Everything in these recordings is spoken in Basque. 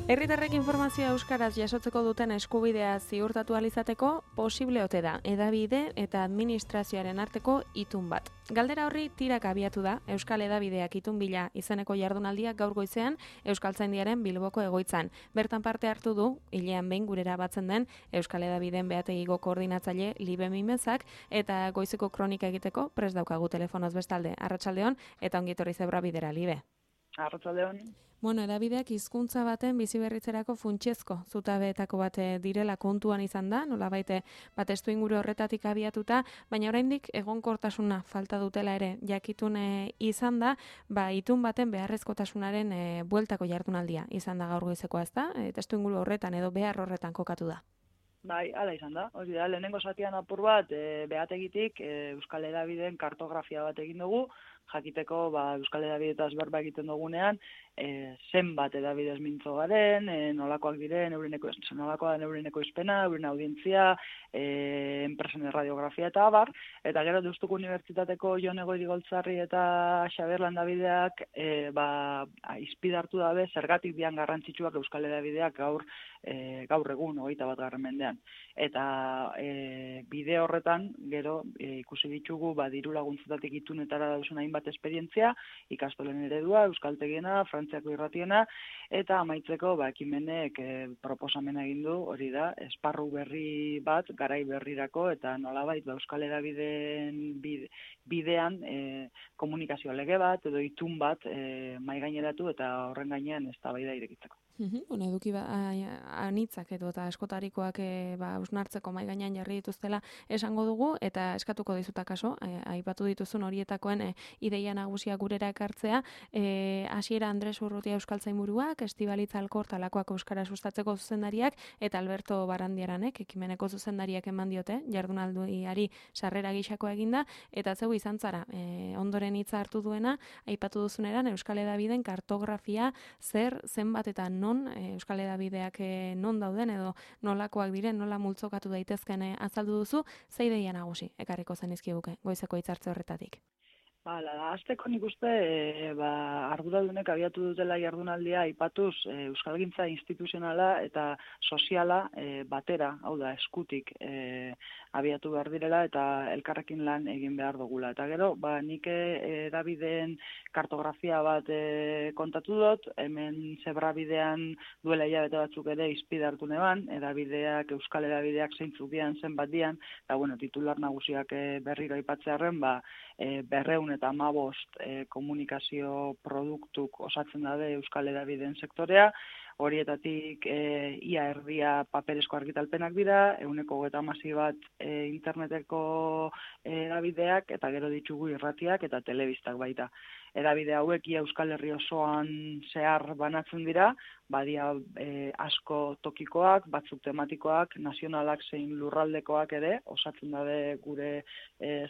Herritarrek informazioa euskaraz jasotzeko duten eskubidea ziurtatu ahal izateko posible ote da hedabide eta administrazioaren arteko itun bat. Galdera horri tirak abiatu da Euskal Hedabideak itun bila izeneko jardunaldiak gaur goizean Euskaltzaindiaren Bilboko egoitzan. Bertan parte hartu du hilean behin gurera batzen den Euskal Hedabideen behategiko koordinatzaile Libe Mimezak eta goizeko kronika egiteko prest daukagu telefonoz bestalde. Arratsaldeon eta ongi etorri Zebra Bidera, Libe. Arratsaldeon. Bueno, hedabideak hizkuntza baten biziberritzerako funtsezko zutabeetako bat direla kontuan izan da, nolabait testuinguru horretatik abiatuta, baina oraindik egonkortasuna falta dutela ere jakitun izan da, itun baten beharrezkotasunaren bueltako jardunaldia izan da gaur goizekoa, ezta? Testuinguru horretan edo behar horretan kokatu da. Bai, hala izan da. Hori da, lehenengo zatian apur bat, behategitik Euskal Hedabideen kartografia bat egin dugu, jakiteko Euskal Hedabideetaz berba egiten dugunean, zenbat hedabidez mintzo garen, nolakoak diren, nolakoa den eureneko izpena, euren audientzia, enpresen radiografia eta abar, eta gero Deustuko Unibertsitateko Jon Egoiri Goltzarri eta Xabier Landabideak izpidartu dabe zergatik dian garrantzitsuak Euskal Hedabideak gaur egun 21. mendean. Eta bide horretan, gero ikusi ditugu diru laguntzetatik itunetara dauzen hainbat esperientzia, ikastolen eredua, euskaltegiena, Frantziako irratiena, eta amaitzeko ekimenek proposamena egin du, hori da, esparru berri bat, garai berrirako, eta nolabait Euskal Hedabideen bidean komunikazio lege bat, edo itun bat maigaineratu eta horren gainean eztabaida irekitzeko. Bueno, eduki anitzak edo eta askotarikoak hausnartzeko mai gainean jarri dituztela esango dugu eta eskatuko dizuta kaso, aipatu dituzun horietakoen ideia nagusia gurera ekartzea, Hasiera Andres Urrutia Euskaltzainburuak, Estibalitz Alkor talakoak euskara sustatzeko zuzendariak eta Alberto Barandiaranek ekimeneko zuzendariak eman diote jardunaldiari sarrera gixako eginda eta zeu izan zara ondoren hitza hartu duena aipatu duzuneran Euskal Hedabideen kartografia zenbat eta non Euskal Hedabideak non dauden edo nolakoak diren, nola multzokatu daitezken azaldu duzu, ze ideia nagusi ekarriko zenizkiguke goizeko hitzartze horretatik. Hasteko nik uste arduradunek abiatu dutela jardunaldia aipatuz euskalgintza instituzionala eta soziala batera, hau da, eskutik abiatu behar direla eta elkarrekin lan egin behar dugula. Eta gero, nik hedabideen kartografia bat kontatu dut, hemen Zebra Bidean duela hilabete batzuk ere izpide hartu neban, hedabideak, Euskal Hedabideak zeintzuk dian, zenbat dian, eta titular nagusiak berriro aipatzearren, 215 komunikazio produktuk osatzen dabe Euskal Hedabideen sektorea, horietatik ia erdia paperezko argitalpenak dira, 130 bat interneteko hedabideak, eta gero ditugu irratiak eta telebistak baita. Hedabide hauek ia Euskal Herri osoan zehar banatzen dira, badia asko tokikoak, batzuk tematikoak, nazionalak zein lurraldekoak ere, osatzen dabe gure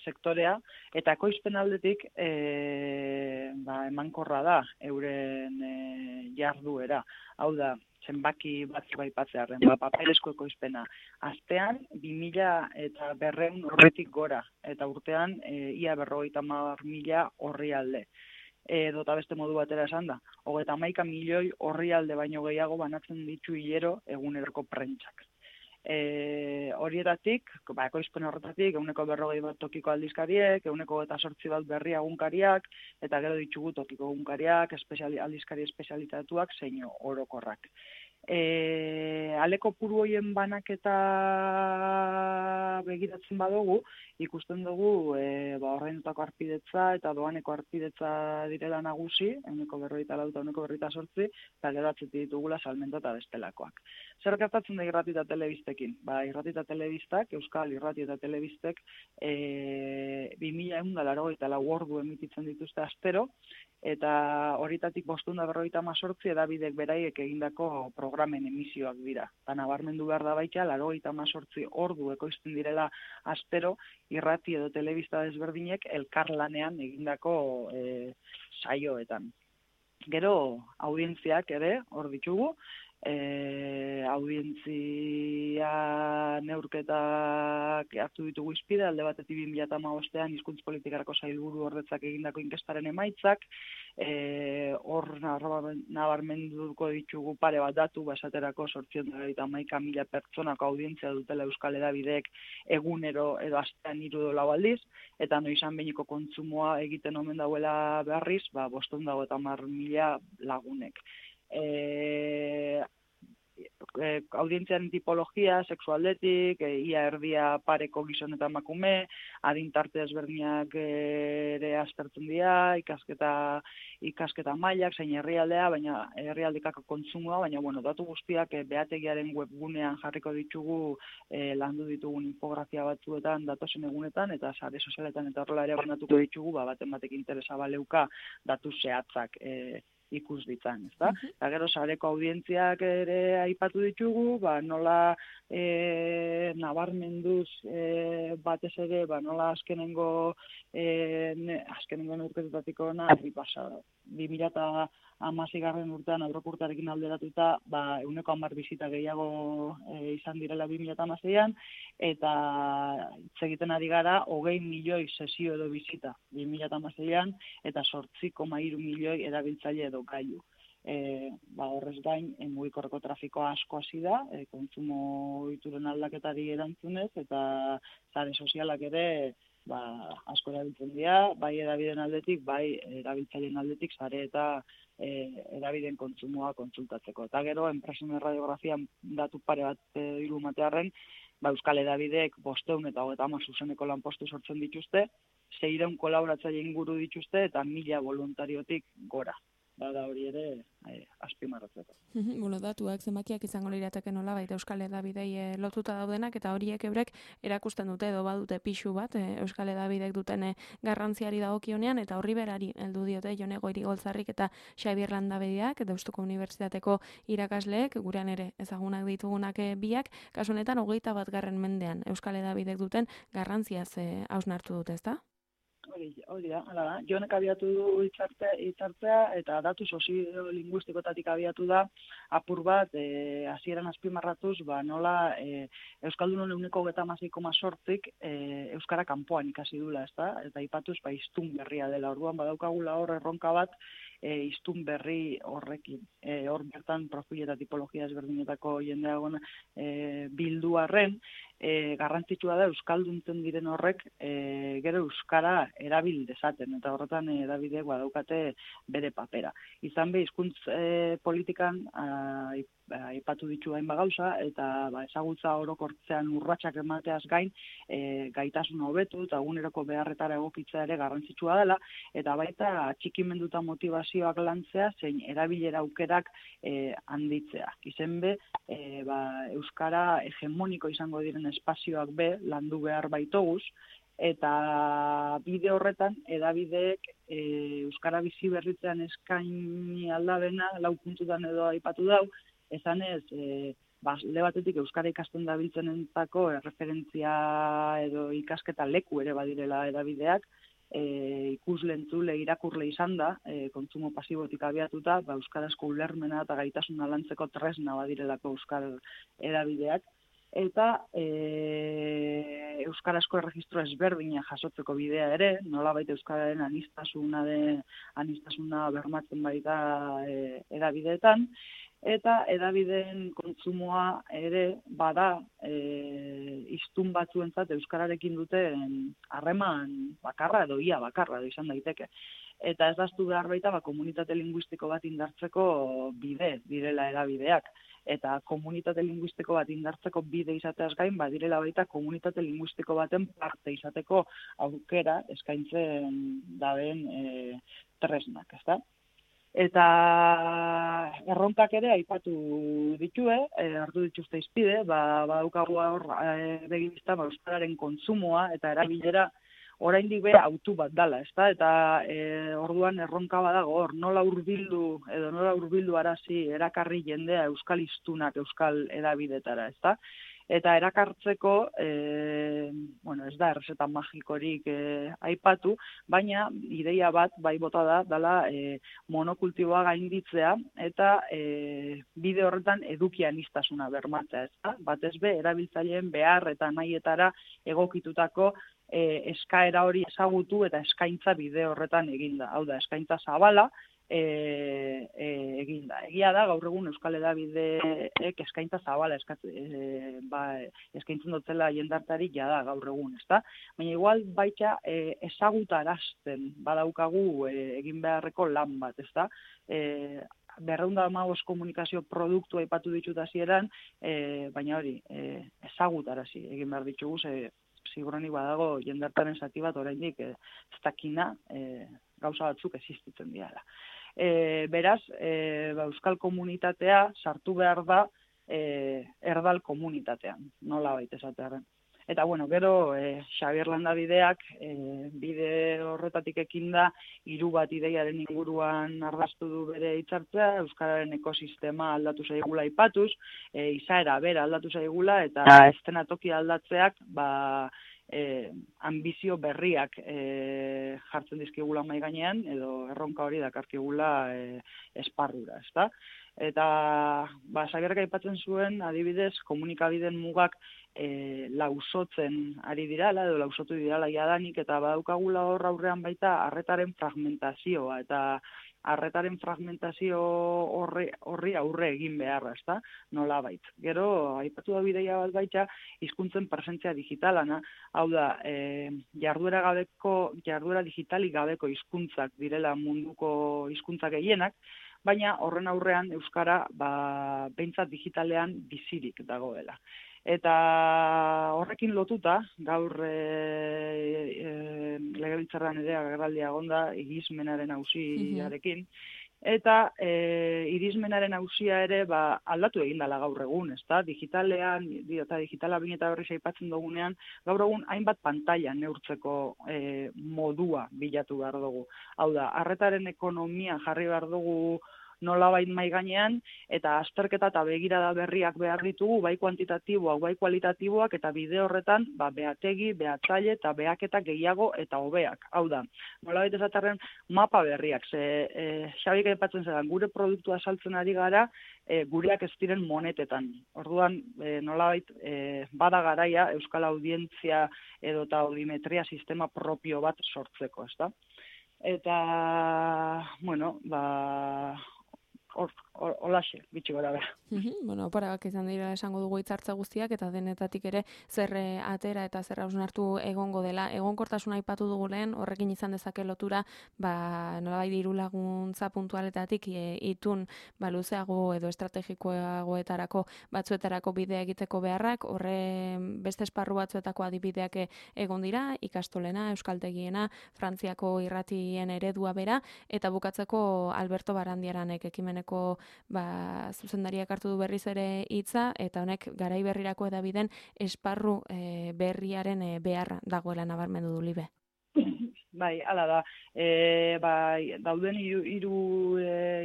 sektorea, eta ekoizpen aldetik emankorra da euren jarduera. Hau da, zenbaki batzuk aipatzearren, paperezko ekoizpena. Astean, 2.200 horretik gora, eta urtean ia 50.000 orrialde. Dota beste modu batera esan da, 31 milioi orrialde baino gehiago banatzen ditu hilero eguneroko prentsak. Horietatik, ekoizpen horretatik, 140 bat tokiko aldizkariek, 128 bat berri egunkariak, eta gero ditugu tokiko egunkariak, aldizkari espezialitatuak, zein orokorrak. Aleko puru hoien banaketa begiratzen badugu, ikusten dugu horreinutako arpidetza eta doaneko arpidetza direla nagusi, 144 eta 128, eta gero atzetik ditugula salmenta eta bestelakoak. Zer gertatzen da irrati eta telebistekin? Irrati eta telebistak, Euskal Irrati eta Telebistek 2184 ordu emititzen dituzte astero, eta horietatik 558 hedabidek beraiek egindako programen emisioak dira. Eta nabarmendu behar da baita, 88 ordu ekoizten direla astero, irrati edo telebista desberdinek elkarlanean egindako saioetan. Gero, audientziak ere, hor ditugu, audientzia neurketak hartu ditugu izpide, alde batetik 2015ean hizkuntz politikarako sailburu ordetzak egindako inkestaren emaitzak, hor nabarmenduko ditugu pare bat datu, esaterako 891.000 pertsonako audientzia dutela Euskal Hedabideek egunero edo astean 3 edo 4 aldiz, eta noizan behiniko kontsumoa egiten omen dauela berriz, 550.000 lagunek. Audientziaren tipologia, sexualdetik, ia erdia pareko gizon eta emakume, adintarte ezberdinak ere aztertzen dira, ikasketa mailak, zein herrialdea, baina herrialdekako kontsumoa, baina datu guztiak behategiaren webgunean jarriko ditugu, landu ditugun infografia batzuetan, datozen egunetan, eta sare sozialetan eta horrela ere banatuko ditugu, baten batek interesa baleuka datu zehatzak ikus ditzan, ezta? Eta gero sareko audientziak ere aipatu ditugu, nola nabarmenduz batez ere, nola azkenengo neurketetatik ona, 2016 urtean aurrekurtearekin alderatuta, 110 bisita gehiago izan direla 2016an, eta hitz egiten ari gara 20 milioi sesio edo bisita 2016an, eta 8,3 milioi erabiltzaile edo gailu. Horrez gain, mugikorreko trafikoa asko hasi da, kontsumo ohituren aldaketari erantzunez, eta sare sozialak ere asko erabiltzen dira, bai hedabideen aldetik, bai erabiltzaileen aldetik, sare eta hedabideen kontsumoa kontsultatzeko. Eta gero, enpresen radiografian datu pare bat irumatearren, Euskal Hedabideek 500 eta 30 zuzeneko lanpostu sortzen dituzte, 600 kolaboratzaile inguru dituzte, eta 1000 voluntariotik gora. Da hori ere azpimarratzeko. Datuak zenbakiak izango lirateke nola baita Euskal Hedabidei lotuta daudenak, eta horiek eurek erakusten dute edo badute pixu bat Euskal Hedabideek duten garrantziari dagokionean, eta horri berari heldu diote Jone Goirigoltzarrik eta Xabier Landabediak, Deustuko Unibertsitateko irakasleek, gurean ere ezagunak ditugunak biak, kasu honetan 21. mendean Euskal Hedabideek duten garrantziaz hausnartu dute, ezta? Hori da, hala da. Jonek abiatu du hitzartzea eta datu soziolinguistikotatik abiatu da apur bat hasieran azpimarratuz, nola Euskaldunon 26,8 euskara kanpoan ikasi dula, ezta? Eta aipatuz hiztun berria dela. Orduan badaukagula hor erronka bat hiztun berri horrekin. Hor bertan profil eta tipologia ezberdinetako jendea bildu arren, garrantzitsua da euskalduntzen diren horrek gero euskara erabil dezaten, eta horretan hedabideek badaukate bere papera. Izan be, hizkuntz politikan aipatu ditu hainbat gauza, eta ezagutza orokortzean urratsak emateaz gain, gaitasuna hobetu eta eguneroko beharretara egokitzea ere garrantzitsua dela, eta baita atxikimenduta motivazioak lantzea, zein erabilera aukerak handitzea. Izen be, euskara hegemoniko izango diren espazioak be landu behar baitoguz, eta bide horretan hedabideek euskara bizi berritzean eskaini aldabena 4 puntutan edo aipatu dau, esanez alde batetik euskara ikasten dabiltzenentzako erreferentzia edo ikasketa leku ere badirela hedabideak, ikusle, entzule, irakurle izan da, kontsumo pasibotik abiatuta, euskarazko ulermena eta gaitasuna lantzeko tresna badirelako euskal hedabideak, eta euskarazko erregistro ezberdina jasotzeko bidea ere, nolabait euskararen anistasuna bermatzen baita hedabideetan, eta hedabideen kontsumoa ere bada hiztun batzuentzat euskararekin duten harreman bakarra edo ia bakarra edo izan daiteke. Eta ez daztu behar baita komunitate linguistiko bat indartzeko bide direla hedabideak. Eta komunitate linguistiko bat indartzeko bide izateaz gain, direla baita komunitate linguistiko baten parte izateko aukera eskaintzen daben tresnak, ezta? Eta erronkak ere aipatu ditue, hartu dituzte izpide, badaukagu hor begizta euskararen kontsumoa eta erabilera oraindik be autu bat dala, ezta? Eta orduan erronka badago hor, nola hurbildu arazi erakarri jendea euskal hiztunak euskal hedabidetara, ezta? Eta erakartzeko, bueno, ez da errezeta magikorik aipatu, baina ideia bat bai bota da, dela monokultiboa gainditzea eta bide horretan edukianistasuna bermatzea, ez da? Batez be, erabiltzaileen behar eta nahietara egokitutako eskaera hori ezagutu eta eskaintza bide horretan eginda. Hau da, eskaintza zabala, eginda. Egia da, gaur egun Euskal Hedabideek eskaintza zabala eskaintzen dutela jendartari jada gaur egun, ezta? Baina igual baita ezagutarazten badaukagu egin beharreko lan bat, ezta? 215 komunikazio produktu aipatu ditut hasieran, baina hori, ezagutarazi egin behar ditugu, seguruenik badago jendartaren zati bat oraindik ez dakina gauza batzuk existitzen diala. Beraz, euskal komunitatea sartu behar da erdal komunitatean, nola baita esatearen. Eta, bueno, gero, Xabier Landabideak bide horretatik ekinda 3 bat ideiaren inguruan ardaztu du bere hitzartzea, euskararen ekosistema aldatu zaigula aipatuz, izaera bera aldatu zaigula, eta eszenatoki aldatzeak, ambizio berriak jartzen dizkigula mahai gainean, edo erronka hori dakarkigula esparrura, ezta? Eta, Xabierrek aipatzen zuen, adibidez, komunikabideen mugak lausotzen ari dirala, edo lausotu dirala jadanik, eta badaukagula hor aurrean baita arretaren fragmentazioa, eta arretaren fragmentazio horri aurre egin beharra, ezta? Nola bait. Gero, aipatu da bideia bat baita, hizkuntzen presentzia digitalana, hau da, jarduera digitalik gabeko hizkuntzak direla munduko hizkuntzak gehienak, baina horren aurrean euskara behintzat digitalean bizirik dagoela. Eta horrekin lotuta, gaur legebiltzarrean ere agerraldia egonda irismenaren auziarekin, eta irismenaren auzia ere aldatu egin dela gaur egun, ezta? Digitalean, eta digitala bine eta berriz aipatzen dugunean, gaur egun hainbat pantaila neurtzeko modua bilatu behar dugu. Hau da, arretaren ekonomia jarri behar dugu nolabait mahai gainean, eta azterketa eta begirada berriak behar ditugu, bai kuantitatiboak, bai kualitatiboak, eta bide horretan, behategi, behatzaile eta behaketa gehiago eta hobeak. Hau da, nolabait esatarren mapa berriak, Xabik aipatzen zelan, gure produktua saltzen ari gara, gureak ez diren monetetan. Orduan, nolabait, bada garaia euskal audientzia edo eta audimetria sistema propio bat sortzeko, ezta? Eta, bueno, holaxe, bitxi gara behar. Bueno, oparagak izan dira esango dugu hitzartze guztiak, eta denetatik ere zer atera eta zer hausnartu egongo dela. Egonkortasuna aipatu dugu lehen, horrekin izan dezake lotura, nolabait diru laguntza puntualetatik itun luzeago edo estrategikoagoetarako batzuetarako bidea egiteko beharrak, horre beste esparru batzuetako adibideak egon dira, ikastolena, euskaltegiena, Frantziako irratien eredua bera, eta bukatzeko Alberto Barandiaranek ekimeneko zuzendariak hartu du berriz ere hitza, eta honek garai berrirako edabiden esparru berriaren beharra dagoela nabarmendu du Libe. Bai, hala da. Dauden hiru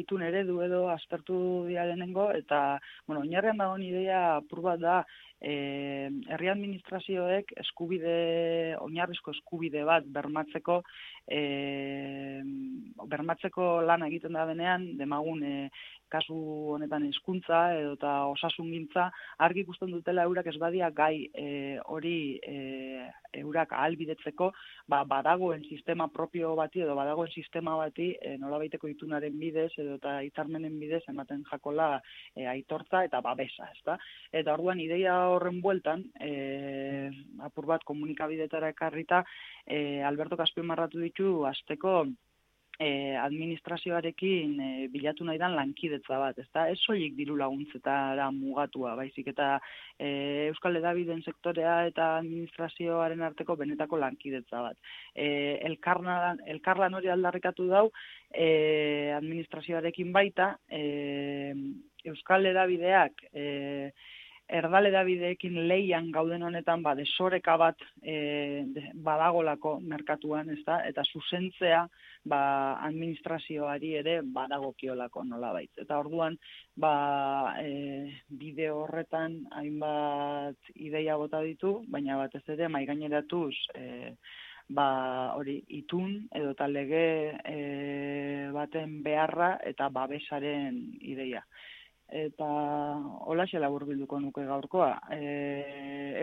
itun eredu edo aztertu dira lehenengo, eta, bueno, oinarrian dagoen ideia apur bat da, herri administrazioek oinarrizko eskubide bat bermatzeko lan egiten da denean, demagun kasu honetan hezkuntza edo eta osasungintza argi ikusten dutela eurak ez badia gai hori eurak ahalbidetzeko, badagoen sistema propio bati edo badagoen sistema bati nolabaiteko itunaren bidez edo eta hitzarmenen bidez ematen jakola aitortza eta babesa, ezta? Eta orduan ideia horren bueltan, apur bat komunikabidetara ekarrita, Alberto Azpimarratu ditu hasteko administrazioarekin bilatu nahi dan lankidetza bat, ezta? Ez soilik diru laguntzetara mugatua, baizik eta Euskal Hedabideen sektorea eta administrazioaren arteko benetako lankidetza bat. Elkarlan hori aldarrikatu dau administrazioarekin baita, Euskal Hedabideak erdaledabideekin leian gauden honetan, desoreka bat badagolako merkatuan, ezta? Eta zuzentzea administrazioari ere badagokiolako nolabait. Eta orduan, bideo horretan hainbat ideia bota ditu, baina batez ere maigaineratuz hori itun edo lege baten beharra eta babesaren ideia. Eta holaxe laburbilduko nuke gaurkoa.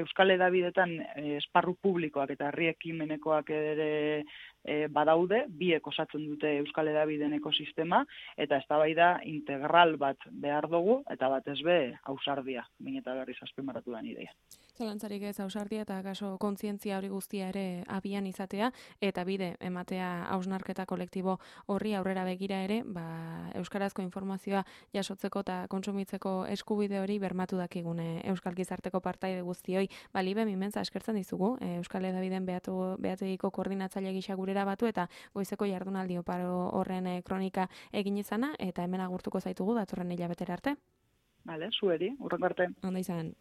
Euskal Hedabideetan esparru publikoak eta herri ekimenekoak ere badaude, biek osatzen dute Euskal Hedabideen ekosistema, eta eztabaida integral bat behar dugu, eta batez be ausardia, min eta berriz azpimarratu da ideia. Zalantzarik ez ausardia eta kaso kontzientzia hori guztia ere abian izatea, eta bide ematea hausnarketa kolektibo horri aurrera begira ere, euskarazko informazioa jasotzeko eta kontsumitzeko eskubide hori bermatu dakigune Euskal Gizarteko partaide guztioi. Libe, mimentza eskertzen dizugu, Euskal Hedabideen behategiko koordinatzaile gisa gurera batu eta goizeko jardunaldi oparo horren kronika egin izana, eta hemen agurtuko zaitugu datorren hilabetera arte. Vale, zueri, urrengo arte. Ondo izan.